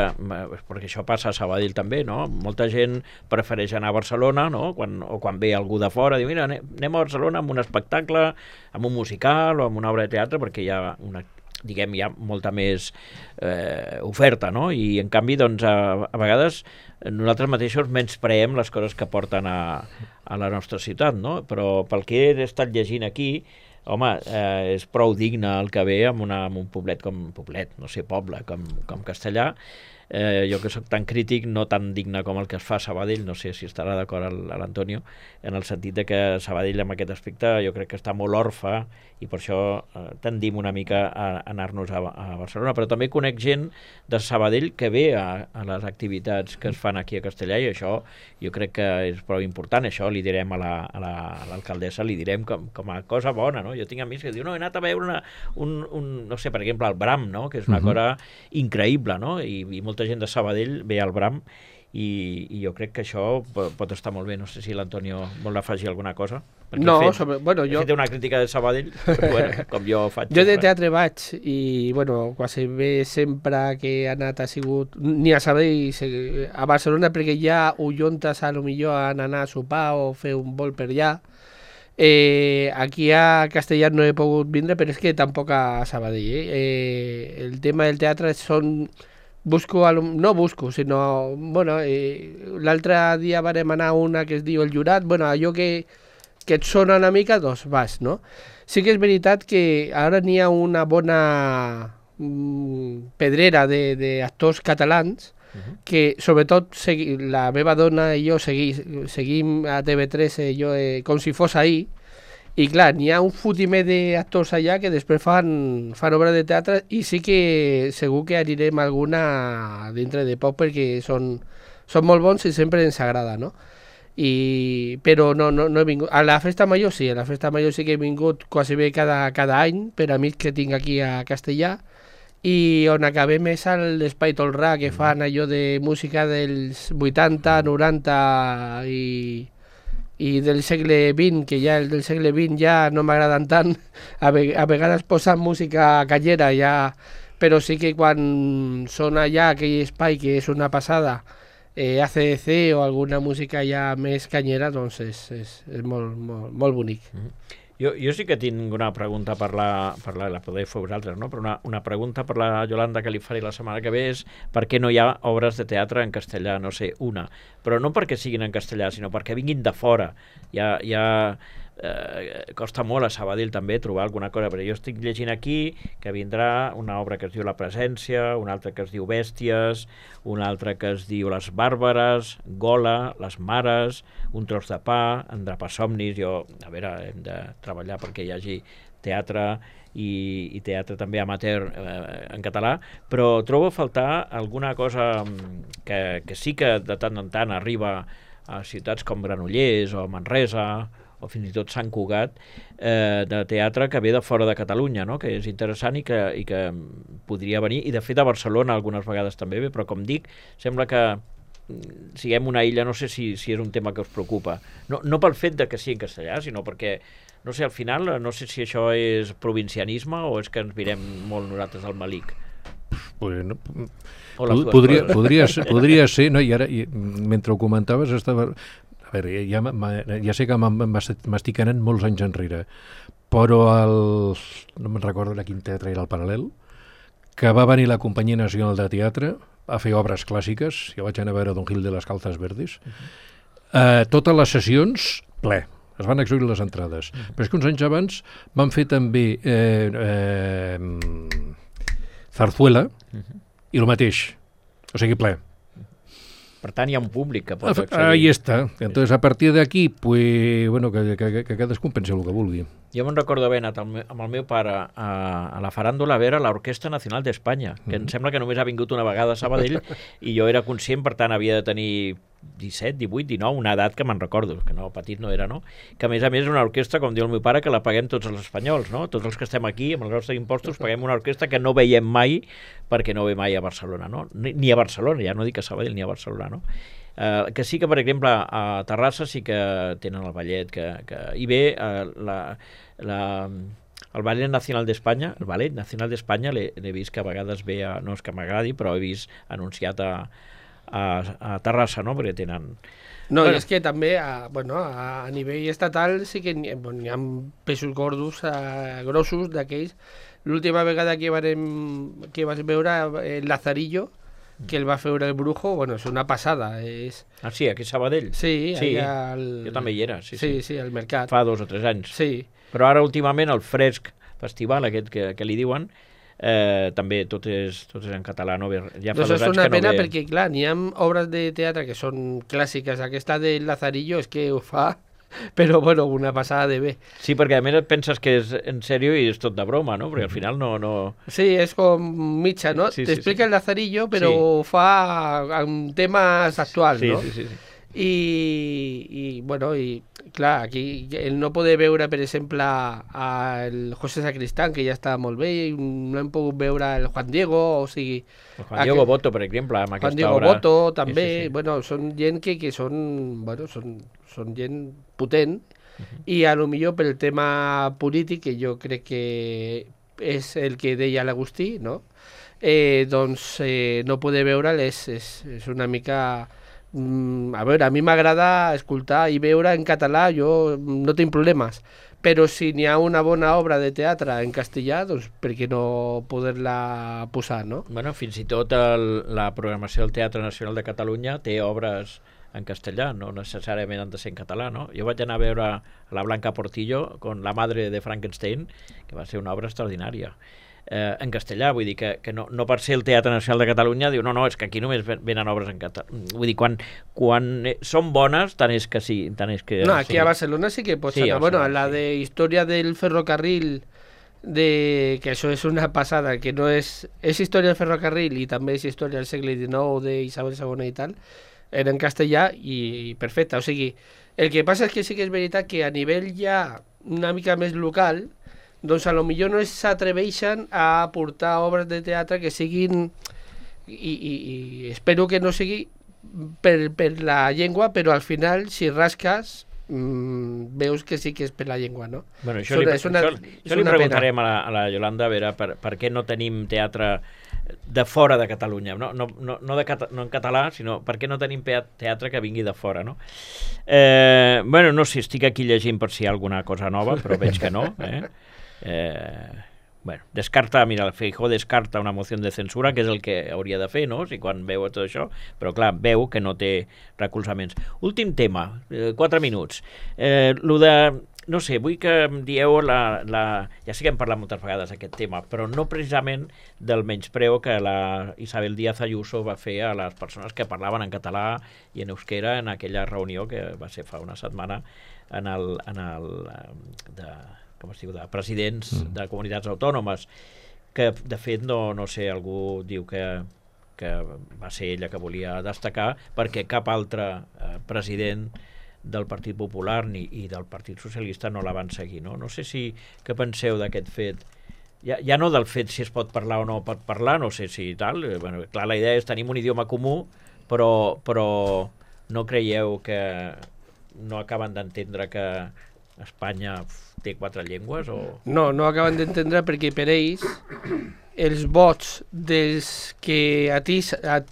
perquè això passa a Sabadell també, no? Molta gent prefereix anar a Barcelona, no? Quan, o quan ve algú de fora, diu, mira, anem a Barcelona amb un espectacle, amb un musical o amb una obra de teatre, perquè hi ha una diguem, hi ha molta més eh, oferta, no? I en canvi, doncs, a, a vegades nosaltres mateixos menyspreem les coses que porten a, a la nostra ciutat, no? Però pel que he estat llegint aquí, home, eh, és prou digne el que ve amb, una, amb un poblet com poblet, no sé, poble, com, com Castellà. Eh, jo que sóc tan crític, no tan digne com el que es fa a Sabadell, no sé si estarà d'acord l'Antonio, en el sentit de que Sabadell en aquest aspecte jo crec que està molt orfe i per això eh, tendim una mica a, a anar-nos a, a Barcelona, però també conec gent de Sabadell que ve a, a les activitats que es fan aquí a Castellà i això jo crec que és prou important, això li direm a l'alcaldessa, la, a li direm com, com a cosa bona, no? Jo tinc amics que diuen, no, he anat a veure una, un, un, no sé, per exemple, el Bram, no? Que és una uh-huh. cosa increïble, no? I, i molta gent de Sabadell ve al Bram i, i jo crec que això pot estar molt bé. No sé si l'Antonio vol afegir alguna cosa. Perquè no, fet, sobre, bueno, jo... He fet una crítica de Sabadell, però, bueno, com jo faig. Jo de teatre vaig i, bueno, quasi bé sempre que he anat ha sigut ni a Sabadell, a Barcelona, perquè ja ho juntes a lo millor a anar a sopar o fer un vol per allà. Eh, aquí a Castellà no he pogut vindre, però és que tampoc a Sabadell. Eh? Eh, el tema del teatre són... Busco, no busco, sinó... Bueno, eh, l'altre dia varem anar a una que es diu El Jurat, bueno, allò que, que et sona una mica, doncs vas, no? Sí que és veritat que ara n'hi ha una bona mm, pedrera d'actors catalans uh-huh. que, sobretot, segui, la meva dona i jo segui, seguim a T V tres eh, jo, eh, com si fos ahir. I clar, n'hi ha un fotimer d'actors allà que després fan, fan obra de teatre i sí que segur que anirem alguna dintre de poc perquè són, són molt bons i sempre ens agrada, no? I, però no, no, no he vingut. A la Festa Major sí, a la Festa Major sí que he vingut quasi bé cada, cada any per amics que tinc aquí a Castellà, i on acabem és a l'Espai Tolrà, que fan allò de música dels vuitanta, noranta i, i del segle vint, que ja el del segle vint ja no m'agraden tant, a, ve, a vegades posen música callera ja, però sí que quan són allà aquell espai que és una passada, eh, A C D C o alguna música ja més canyera, doncs és, és, és molt, molt, molt bonic. Mm-hmm. Jo, jo sí que tinc una pregunta per la, per la, la podeu fer vosaltres, no? Però una, una pregunta per la Yolanda que li faré la setmana que ve és per què no hi ha obres de teatre en castellà, no sé, una. Però no perquè siguin en castellà, sinó perquè vinguin de fora. Ja, ja eh, costa molt a Sabadell també trobar alguna cosa, però jo estic llegint aquí que vindrà una obra que es diu La Presència, una altra que es diu Bèsties, una altra que es diu Les Bàrbares, Gola, Les Mares, Un tros de pa, Endrapar somnis. Jo, a veure, hem de treballar perquè hi hagi teatre i, i teatre també amateur eh, en català, però trobo a faltar alguna cosa que, que sí que de tant en tant arriba a ciutats com Granollers o Manresa o fins i tot Sant Cugat, eh, de teatre que ve de fora de Catalunya, no? Que és interessant i que, i que podria venir, i de fet a Barcelona algunes vegades també ve, però com dic, sembla que siguem una illa, no sé si, si és un tema que us preocupa. No, no pel fet de que sigui en castellà, sinó perquè, no sé, al final, no sé si això és provincianisme o és que ens mirem molt nosaltres al malic. Bueno, podria, podria, ser, podria ser, no? I ara, i, mentre ho comentaves, estava... A veure, ja, ja sé que m'estic anant molts anys enrere, però el, no me'n recordo de quin teatre era el Paral·lel, que va venir la Companyia Nacional de Teatre a fer obres clàssiques, jo vaig anar a veure Don Gil de les Calzas Verdes, uh-huh. eh, totes les sessions, ple, es van exhaurir les entrades. Uh-huh. Però és que uns anys abans van fer també eh, eh, Zarzuela, uh-huh. i el mateix, o sigui, ple. Per tant, hi ha un públic que pot accedir. Ahí està. Entonces, a partir d'aquí, pues, bueno, que, que, que cadascú pensi el que vulgui. Jo me'n recordo haver anat amb el meu pare a, a la faràndula a veure l'Orquestra Nacional d'Espanya, que mm. em sembla que només ha vingut una vegada a Sabadell, i jo era conscient, per tant, havia de tenir disset, divuit, dinou, una edat que me'n recordo, que no, petit no era, no? Que a més a més és una orquestra, com diu el meu pare, que la paguem tots els espanyols, no? Tots els que estem aquí, amb els nostres impostos, paguem una orquestra que no veiem mai, perquè no ve mai a Barcelona, no? Ni, ni a Barcelona, ja no dic a Sabadell, ni a Barcelona, no? Uh, que sí que, per exemple, a Terrassa sí que tenen el ballet, que, que hi ve uh, la, la, el Ballet Nacional d'Espanya, el Ballet Nacional d'Espanya l'he vist que a vegades ve, a, no és que m'agradi, però he vist anunciat a, a, a Terrassa, no?, perquè tenen... No, bueno. I és que també a, bueno, a, a nivell estatal sí que n'hi bueno, ha pesos gordos, a, grossos d'aquells. L'última vegada que, varem, que vas veure el Lazarillo, que el va fer el Brujo, bueno, és una passada. És... Ah, sí, aquí a Sabadell? Sí, sí, al... jo també hi era. Sí, sí, sí, sí, al mercat. Fa dos o tres anys. Sí. Però ara, últimament, el Fresc Festival, aquest que, que li diuen, eh, també tot és, tot és en català. No? Ja fa doncs dos és anys una que pena no ve... perquè, clar, n'hi ha obres de teatre que són clàssiques. Aquesta del Lazarillo és que ho fa... Però, bueno, una passada de bé. Sí, perquè a més et penses que és en sèrio i és tot de broma, no? Perquè al final no... no... Sí, és com mitja, no? Sí, T'explica sí, sí. el Lazarillo, però sí. ho fa amb temes actuals, sí, no? Sí, sí, sí. I, i, bueno, i clar, aquí el no poder veure, per exemple, el José Sacristán, que ja està molt bé, i no hem pogut veure el Juan Diego, o sigui... El Juan Diego aqu... Boto, per exemple, amb Juan aquesta Diego obra... Boto, també, sí, sí, sí. Bueno, són gent que, que són, bueno, són, són gent potent, uh-huh. I a lo millor pel tema polític, que jo crec que és el que deia l'Agustí, no? Eh, doncs eh, no poder veure'l és, és, és una mica... Mm, a veure, a mi m'agrada escoltar i veure en català, jo no tinc problemes, però si n'hi ha una bona obra de teatre en castellà, doncs per què no poder-la posar, no? Bueno, fins i tot el, la programació del Teatre Nacional de Catalunya té obres en castellà, no necessàriament han de ser en català, no? Jo vaig anar a veure la Blanca Portillo con La madre de Frankenstein, que va ser una obra extraordinària. Eh, en castellà, vull dir que, que no, no per ser el Teatre Nacional de Catalunya diu no, no, és que aquí només venen obres en català. Vull dir, quan, quan són bones, tant és que sí, tant és que... No, aquí sí. A Barcelona sí que pots sí, anar. Bueno, sí. La de història del ferrocarril, de, que això és una passada, que no és... És història del ferrocarril i també és història del segle dinou d'Isabel segona i tal. era en castellà i perfecte. O sigui, el que passa és que sí que és veritat que a nivell ja una mica més local, doncs a lo millor no s'atreveixen a portar obres de teatre que siguin, i, i, i espero que no sigui per, per la llengua, però al final, si rasques, mmm, veus que sí que és per la llengua, no? Bueno, això, li, una, això, això li preguntarem a la, a la Yolanda a veure per, per què no tenim teatre de fora de Catalunya, no, no, no, no, de cata, no en català, sinó per què no tenim teatre que vingui de fora, no? Eh, bueno, no sé, estic aquí llegint per si hi ha alguna cosa nova, però veig que no, eh? Eh, bueno, descarta, mira, el Feijóo descarta una moció de censura, que és el que hauria de fer, no?, si quan veu tot això, però clar, veu que no té recolzaments. Últim tema, eh, quatre minuts. Eh, lo de, no sé, vull que em dieu la, la... Ja sé que hem parlat moltes vegades d'aquest tema, però no precisament del menyspreu que la Isabel Díaz Ayuso va fer a les persones que parlaven en català i en euskera en aquella reunió que va ser fa una setmana en el... En el de, com es diu, de presidents mm. de comunitats autònomes, que de fet no, no sé, algú diu que, que va ser ella que volia destacar perquè cap altre eh, president del Partit Popular ni i del Partit Socialista no la van seguir, no? No sé si què penseu d'aquest fet, ja, ja no del fet si es pot parlar o no pot parlar, no sé si tal, bueno, clar, la idea és tenir un idioma comú, però, però no creieu que no acaben d'entendre que Espanya té quatre llengües? O... No, no acaben d'entendre perquè per ells els vots dels que atiz, at,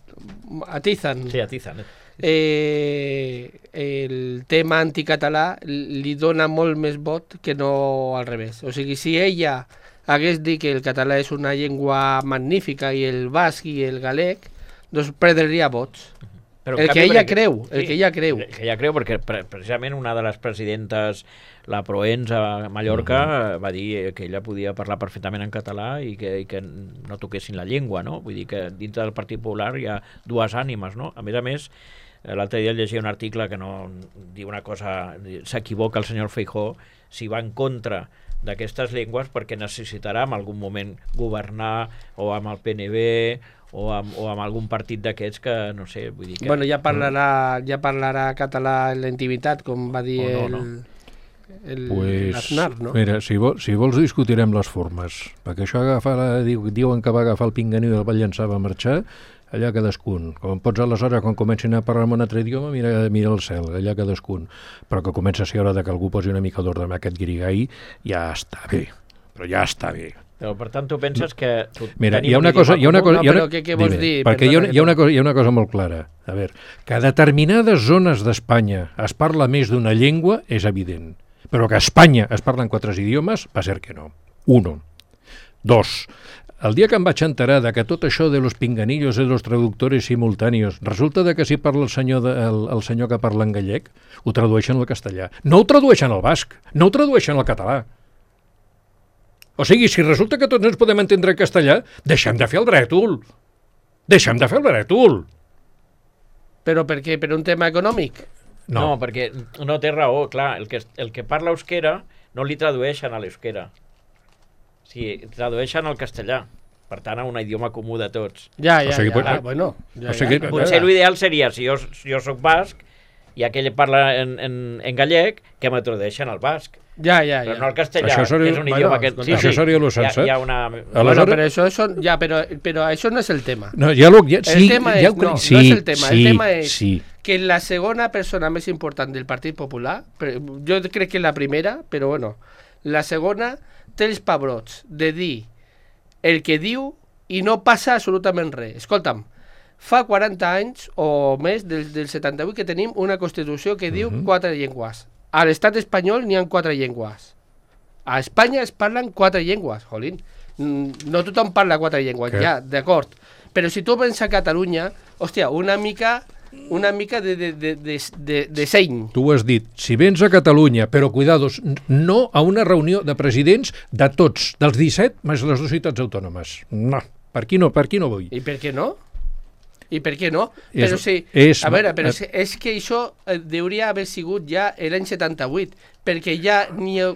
atizan, sí, atizan eh? Eh, el tema anticatalà li dona molt més vot que no al revés. O sigui, si ella hagués dit que el català és una llengua magnífica i el basc i el galec, doncs perdria vots. Però el que ella creu, el que ella creu. El que ella creu, perquè precisament una de les presidentes, la Proens a Mallorca, uh-huh. va dir que ella podia parlar perfectament en català i que, i que no toquessin la llengua, no? Vull dir que dintre del Partit Popular hi ha dues ànimes, no? A més a més, l'altre dia llegia un article que no diu una cosa, s'equivoca el senyor Feijóo si va en contra d'aquestes llengües perquè necessitarà en algun moment governar o amb el P N B o amb, o amb algun partit d'aquests que, no sé, vull dir que... Bueno, ja parlarà, ja parlarà català en la intimitat, com va dir no, no. el, el pues, Aznar, no? Mira, si, vol, si vols discutirem les formes, perquè això agafar la, diu, diuen que va agafar el pinganiu i el va llançar, va marxar, allà cadascun. Com pots aleshores, quan comencin a parlar en un altre idioma, mira, mira el cel, allà cadascun. Però que comença a ser hora de que algú posi una mica d'ordre amb aquest guirigall, ja està bé, però ja està bé. Però, per tant, tu penses que... Tu Mira, hi ha una cosa... Hi ha una cosa, no, hi ha una, però què, què vols dime, dir? Perquè hi ha, una, hi, ha una cosa, hi ha una cosa molt clara. A veure, que a determinades zones d'Espanya es parla més d'una llengua és evident. Però que a Espanya es parlen quatre idiomes, va ser que no. Uno. Dos. El dia que em vaig enterar de que tot això de los pinganillos de los traductores simultáneos resulta de que si parla el senyor, de, el, el senyor que parla en gallec, ho tradueixen al castellà. No ho tradueixen al basc, no ho tradueixen al català. O sigui, si resulta que tots ens podem entendre en castellà, deixem de fer el brètol. Deixem de fer el brètol. Però per què? Per un tema econòmic? No, no perquè no té raó, clar, el que, el que parla euskera no li tradueixen a l'euskera. Sí, tradueixen al castellà. Per tant, a un idioma comú de tots. Ja, ja, o sigui, ja, pues, ah, bueno. Ja, o sigui, ja. Potser l'ideal seria, si jo, si jo soc basc i aquell parla en, en, en gallec, que me tradueixen al basc. Ja, ja, ja. Però no el castellà, això seria, que és un idioma bueno, que... Sí, això sí, seria lo sensat. Hi ha, hi ha una... Aleshores... Bueno, però això, són, ja, però, però això no és el tema. No, ja lo, ja, sí, el tema és, ja, no, sí, no és el tema. Sí, el tema és sí. que la segona persona més important del Partit Popular, jo crec que la primera, però bueno, la segona té els pebrots de dir el que diu i no passa absolutament res. Escolta'm, fa quaranta anys o més del, del setanta-vuit que tenim una Constitució que diu uh-huh. quatre llengües. A l'estat espanyol n'hi ha quatre llengües. A Espanya es parlen quatre llengües, jolín. No tothom parla quatre llengües, que... ja, d'acord. Però si tu vens a Catalunya, hòstia, una mica... una mica de, de, de, de, de, de seny. Tu ho has dit, si vens a Catalunya, però cuidados, no a una reunió de presidents de tots, dels disset més les dues ciutats autònomes. No, per aquí no, per aquí no vull. I per què no? I per què no? És, però sí, és, a veure, però és, és que això hauria haver sigut ja l'any setanta-vuit, perquè ja ni ha,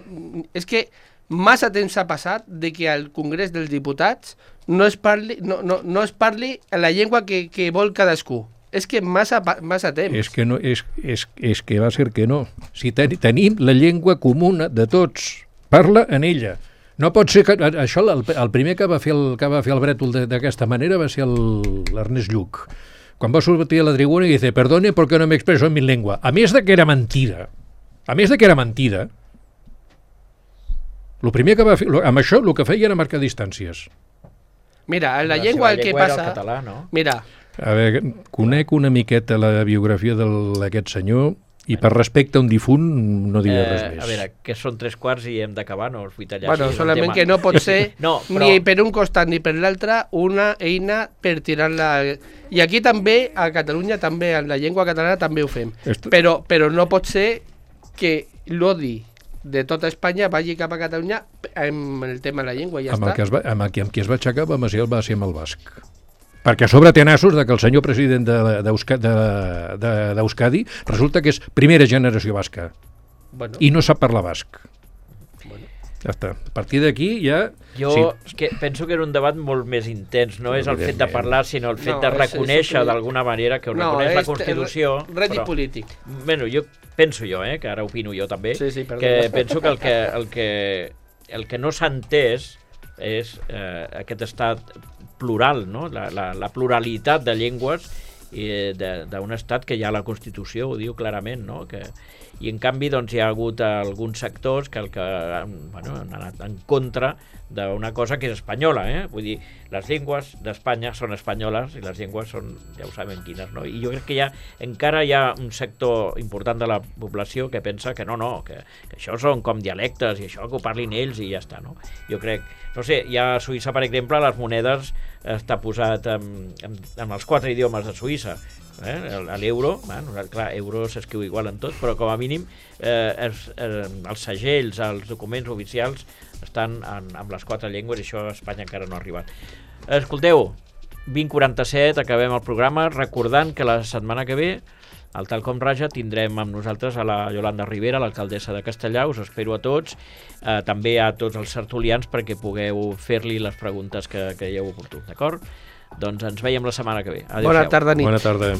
és que massa temps ha passat de que al Congrés dels Diputats no es parli, no, no, no es parli la llengua que, que vol cadascú. és que massa, massa temps. És que, no, és, és, és que va ser que no. Si ten, tenim la llengua comuna de tots, parla en ella. No pot ser que... Això, el, el primer que va fer el, que va fer el brètol d'aquesta manera va ser l'Ernest Lluch. Quan va sortir a la tribuna i dice, perdone porque no me expreso en mi lengua. A més de que era mentida, a més de que era mentida, el primer que va fer, amb això el que feia era marcar distàncies. Mira, en la, la llengua el que passa... El català, no? Mira. A veure, conec una miqueta la biografia d'aquest senyor i per respecte a un difunt no diré eh, res més. A veure, que són tres quarts i hem d'acabar, no? Els vull tallar bueno, així, solament que no pot ser no, però... ni per un costat ni per l'altre una eina per tirar-la... I aquí també, a Catalunya, també, en la llengua catalana també ho fem. Esto... Però, però no pot ser que l'odi de tota Espanya vagi cap a Catalunya amb el tema de la llengua i ja amb està. El que es va, amb, el que, amb qui es va aixecar va ser, va ser amb el basc. Perquè a sobre té nassos de que el senyor president d'Euskadi resulta que és primera generació basca. Bueno. I no sap parlar basc. Bueno. Ja està. A partir d'aquí ja... Jo sí. que penso que era un debat molt més intens. No és el fet de parlar, sinó el fet no, de reconèixer d'alguna manera que ho no, reconeix la Constitució. Ret i polític. Bueno, jo penso jo, eh, que ara opino jo també, sí, sí, que penso que el que, el que, el que no s'ha entès és eh, aquest estat plural, no? la, la, la pluralitat de llengües d'un estat que ja la Constitució ho diu clarament, no? Que, i en canvi doncs, hi ha hagut alguns sectors que, el que bueno, han anat en contra d'una cosa que és espanyola, eh? Vull dir, les llengües d'Espanya són espanyoles i les llengües són, ja ho sabem quines, no? I jo crec que ja, encara hi ha un sector important de la població que pensa que no, no, que, que això són com dialectes i això que ho parlin ells i ja està, no? Jo crec, no sé, hi ha a Suïssa, per exemple, les monedes està posat en, en, en els quatre idiomes de Suïssa, eh? L'euro, bueno, clar, euro s'escriu igual en tot, però com a mínim eh, els, eh, els segells, els documents oficials estan en, en les quatre llengües i això a Espanya encara no ha arribat. Escolteu, vint quaranta-set, acabem el programa, recordant que la setmana que ve al Tal Com Raja tindrem amb nosaltres a la Yolanda Rivera, l'alcaldessa de Castellà. Us espero a tots, eh, també a tots els tertulians perquè pugueu fer-li les preguntes que creieu oportú, d'acord? Doncs ens veiem la setmana que ve. Adéu-siau. Bona tarda, nit. Bona tarda.